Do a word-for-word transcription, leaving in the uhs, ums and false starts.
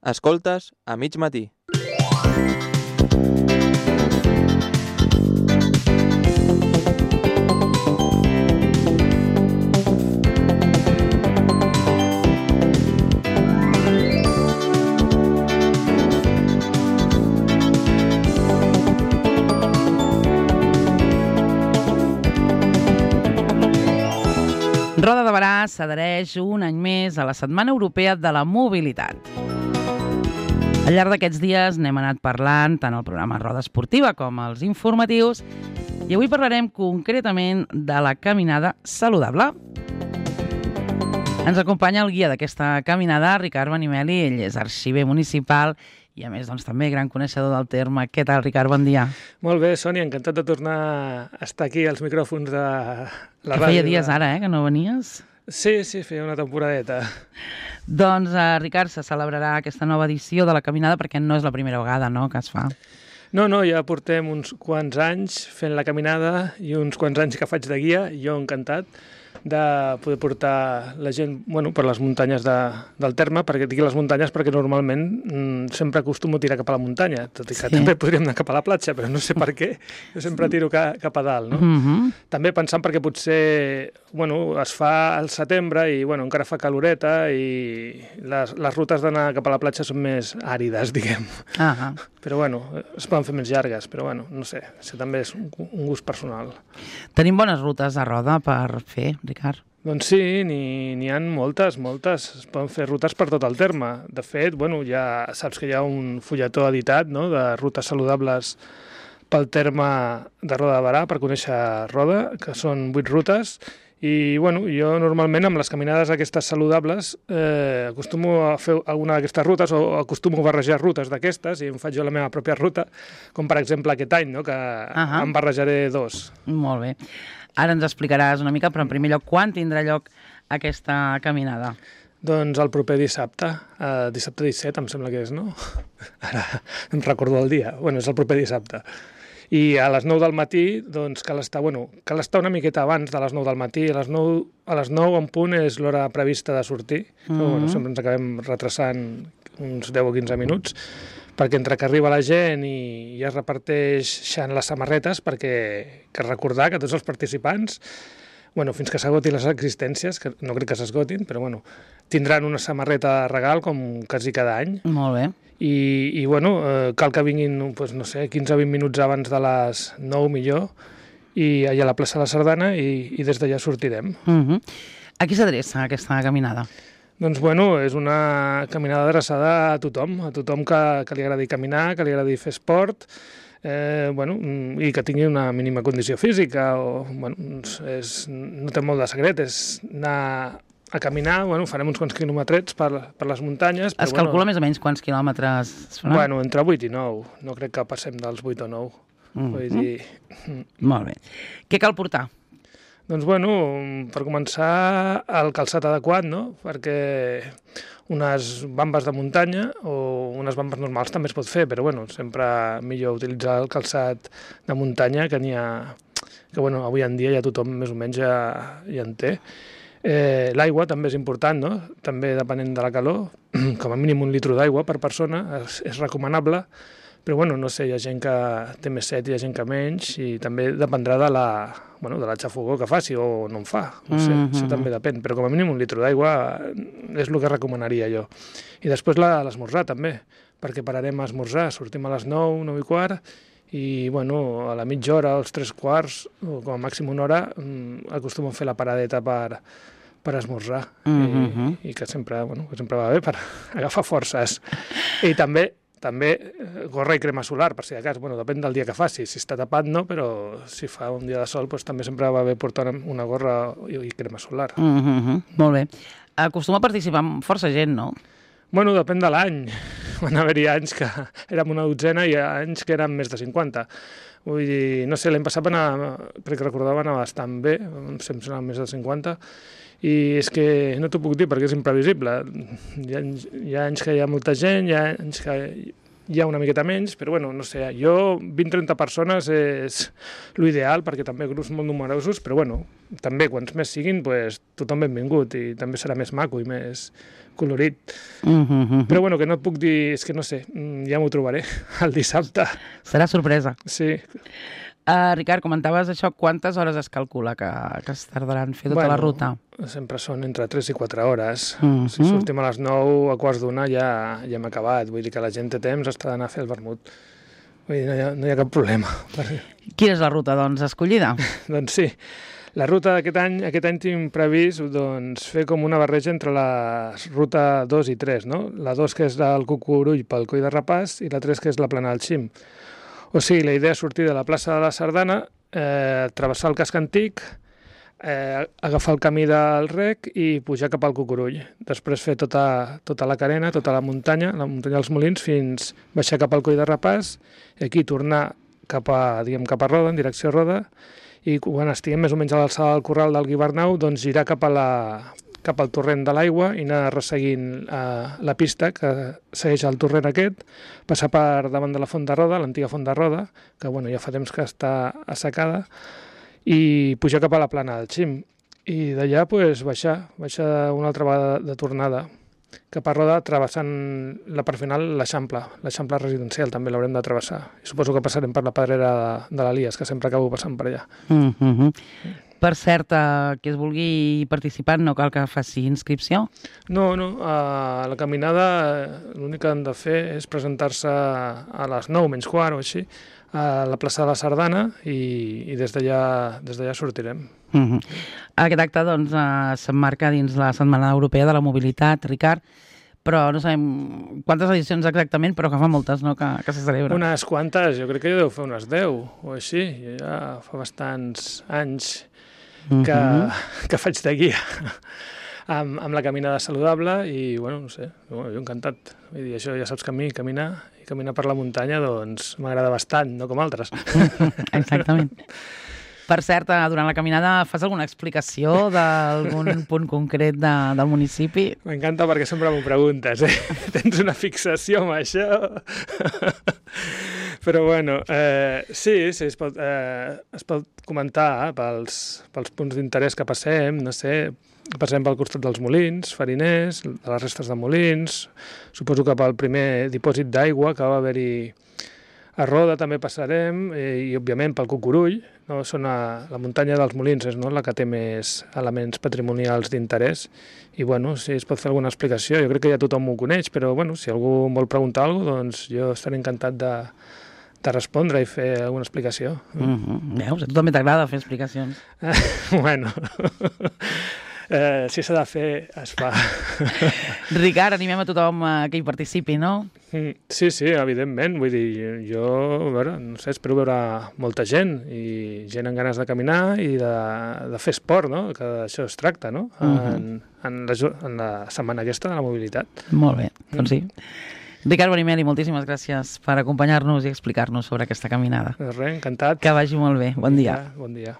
Escoltes a mig matí. Roda de Berà s'adhereix un any més a la Setmana Europea de la Mobilitat. Al llarg d'aquests dies n'hem anat parlant tant al programa Roda Esportiva com als informatius i avui parlarem concretament de la caminada saludable. Ens acompanya el guia d'aquesta caminada, Ricard Benimeli. Ell és arxiver municipal i, a més, doncs, també gran coneixedor del terme. Què tal, Ricard? Bon dia. Molt bé, Sònia, encantat de tornar a estar aquí als micròfons de la que ràdio. feia dies ara, eh, que no venies. Sí, sí, feia una temporadeta. Doncs, eh, Ricard, se celebrarà aquesta nova edició de la caminada perquè no és la primera vegada, no?, que es fa. No, no, ja portem uns quants anys fent la caminada i uns quants anys que faig de guia, jo encantat de poder portar la gent, bueno, per les muntanyes de, del terme, perquè dic les muntanyes perquè normalment mm, sempre acostumo a tirar cap a la muntanya, tot i que sí. També podríem anar cap a la platja, però no sé per què, jo sempre tiro ca, cap a dalt, no? Mm-hmm. També pensant perquè potser, bueno, es fa al setembre i, bueno, encara fa caloreta i les, les rutes d'anar cap a la platja són més àrides, diguem. Ah, Però, bueno, es poden fer més llargues, però, bueno, no sé, això també és un, un gust personal. Tenim bones rutes a Roda per fer, Ricard? Doncs sí, n'hi ha moltes, moltes. Es poden fer rutes per tot el terme. De fet, bueno, ja saps que hi ha un fulletó editat, no?, de rutes saludables pel terme de Roda de Berà, per conèixer Roda, que són vuit rutes. I, bueno, jo normalment amb les caminades aquestes saludables eh, acostumo a fer alguna d'aquestes rutes o acostumo a barrejar rutes d'aquestes i em faig jo la meva pròpia ruta, com per exemple aquest any, no?, que uh-huh. em barrejaré dos. Molt bé. Ara ens explicaràs una mica, però en primer lloc, quan tindrà lloc aquesta caminada? Doncs el proper dissabte, eh, dissabte disset, em sembla que és, no? Ara em recordo el dia. Bueno, és el proper dissabte. I a les nou del matí, doncs, cal estar, bueno, cal estar una miqueta abans de les nou del matí. A les nou, a les nou en punt és l'hora prevista de sortir. Mm-hmm. Però, bueno, sempre ens acabem retrasant uns deu o quinze minuts, perquè entre que arriba la gent i ja es reparteixen les samarretes, perquè que recordar que tots els participants, bueno, fins que s'agotin les existències, que no crec que s'esgotin, però bueno, tindran una samarreta de regal com quasi cada any. Molt bé. I, i bueno, eh, cal que vinguin, pues, no sé, quinze o vint minuts abans de les nou millor, i allà a la plaça de la Sardana, i, i des d'allà sortirem. Uh-huh. A qui s'adreça aquesta caminada? Doncs, bueno, és una caminada adreçada a tothom, a tothom que, que li agradi caminar, que li agradi fer esport, eh, bueno, i que tingui una mínima condició física. O, bueno, és, no té molt de secret, és anar a caminar, bueno, farem uns quants quilometrets per, per les muntanyes. Però, es calcula bueno, més o menys quants quilòmetres es faran? Bueno, entre vuit i nou. No crec que passem dels vuit o nou. Mm-hmm. Vull dir... Molt bé. Què cal portar? Doncs, bueno, per començar, el calçat adequat, no? Perquè unes bambes de muntanya o unes bambes normals també es pot fer, però, bueno, sempre millor utilitzar el calçat de muntanya, que n'hi ha... que, bueno, avui en dia ja tothom més o menys ja, ja en té. Eh, l'aigua també és important, no? També depenent de la calor, com a mínim un litro d'aigua per persona és, és recomanable, però bueno, no sé, hi ha gent que té més set, hi ha gent que menys, i també dependrà de la, bueno, de la xafogor que faci o no en fa, no sé, mm-hmm. Això també depèn, però com a mínim un litro d'aigua és el que recomanaria jo. I després l'esmorzar també, perquè pararem a esmorzar, sortim a les nou, nou i quart, i bueno, a la mitja hora, als tres quarts, o com a màxim una hora, acostumo a fer la paradeta per, per esmorzar, mm-hmm. I, i que sempre, bueno, que sempre va bé per agafar forces. I també, també gorra i crema solar, per si de cas, bueno, depèn del dia que faci, si està tapat no, però si fa un dia de sol, doncs també sempre va bé portar una gorra i, i crema solar. Mm-hmm. Molt bé. Acostuma a participar amb força gent, no? Bueno, depèn de l'any. Van haver-hi anys que érem una dotzena i anys que eren més de cinquanta. Vull dir, no sé, l'any passat va anar, crec que recordava, anar bastant bé, em sembla més de cinquanta, i és que no t'ho puc dir perquè és imprevisible. Hi ha, hi ha anys que hi ha molta gent, hi ha anys que hi ha una miqueta menys, però bueno, no sé, jo vint trenta persones és l'ideal, perquè també grups molt numerosos, però bueno, també quants més siguin, pues, tothom benvingut i també serà més maco i més colorit. Mm -hmm. Però bueno, que no et puc dir, és que no sé, ja m'ho trobaré el dissabte. Serà sorpresa. Sí. Uh, Ricard, comentaves això, quantes hores es calcula que, que es tardaran fer tota bueno, la ruta? Sempre són entre tres i quatre hores. Mm -hmm. Si sortim a les nou, a quarts d'una ja, ja hem acabat. Vull dir que la gent té temps, està d'anar a fer el vermut. Vull dir, no hi ha, no hi ha cap problema. Quina és la ruta, doncs, escollida? Doncs sí. La ruta d'aquest any, aquest any tinc previst doncs, fer com una barreja entre la ruta dos i tres, no? La dos que és del Cucurull pel Coll de Rapàs i la tres que és la Plana del Xim. O sigui, la idea és sortir de la plaça de la Sardana, eh, travessar el casc antic, eh, agafar el camí del Rec i pujar cap al Cucurull. Després fer tota, tota la carena, tota la muntanya, la muntanya dels Molins, fins baixar cap al Coll de Rapàs i aquí tornar cap a, diguem, cap a Roda, en direcció a Roda, i quan estiguem més o menys a l'alçada del corral del Guibernau, doncs girar cap a la, cap al torrent de l'aigua i anar resseguint eh, la pista que segueix el torrent aquest, passar per davant de la Font de Roda, l'antiga Font de Roda, que bueno, ja fa temps que està assecada, i pujar cap a la Plana del Xim. I d'allà pues, baixar, baixar una altra vegada de tornada cap a Roda, travessant la part final l'Eixample, l'Eixample residencial també l'haurem de travessar. I suposo que passarem per la pedrera de, de l'Elies, que sempre acabo passant per allà. Mm -hmm. Per cert, eh, qui es vulgui participar no cal que faci inscripció? No, no, a la caminada l'únic que han de fer és presentar-se a les nou menys quart o així, a la plaça de la Sardana i, i des d'allà des d'allà sortirem. Mm -hmm. Aquest acte doncs, eh, s'emmarca dins la Setmana Europea de la Mobilitat, Ricard, però no sabem quantes edicions exactament, però que fa moltes, no?, que, que se celebra. Unes quantes, jo crec que jo deu fer unes deu o així, jo ja fa bastants anys que, mm-hmm. que faig de guia amb, amb la caminada saludable i, bueno, no sé, bueno, jo encantat. Vull dir, això ja saps que a mi caminar i caminar per la muntanya, doncs m'agrada bastant, no com altres. Exactament. Per cert, durant la caminada fas alguna explicació d'algun punt concret de, del municipi? M'encanta perquè sempre m'ho preguntes, eh? Tens una fixació amb això? Però bueno, eh, sí, sí, es pot, eh, es pot comentar eh, pels, pels punts d'interès que passem, no sé, passem pel costat dels molins, fariners, de les restes de molins, suposo que pel primer dipòsit d'aigua que va haver-hi a Roda també passarem, eh, i òbviament pel Cucurull, no? Són a, la muntanya dels Molins és, no?, la que té més elements patrimonials d'interès, i bueno, si es pot fer alguna explicació, jo crec que ja tothom ho coneix, però bueno, si algú vol preguntar alguna cosa, doncs jo estaré encantat de, de respondre i fer alguna explicació. Mm-hmm. Veus? A tu també t'agrada fer explicacions. Bueno... Eh, si s'ha de fer, es fa. Ricard, animem a tothom que hi participi, no? Sí, sí, evidentment. Vull dir, jo, a veure, no sé, espero veure molta gent i gent amb ganes de caminar i de, de fer esport, no? Que d'això es tracta, no? Uh-huh. En, en, la, en la setmana aquesta de la mobilitat. Molt bé, doncs sí. Ricard Benimeli, moltíssimes gràcies per acompanyar-nos i explicar-nos sobre aquesta caminada. Res, encantat. Que vagi molt bé. Bon dia. Ja, bon dia.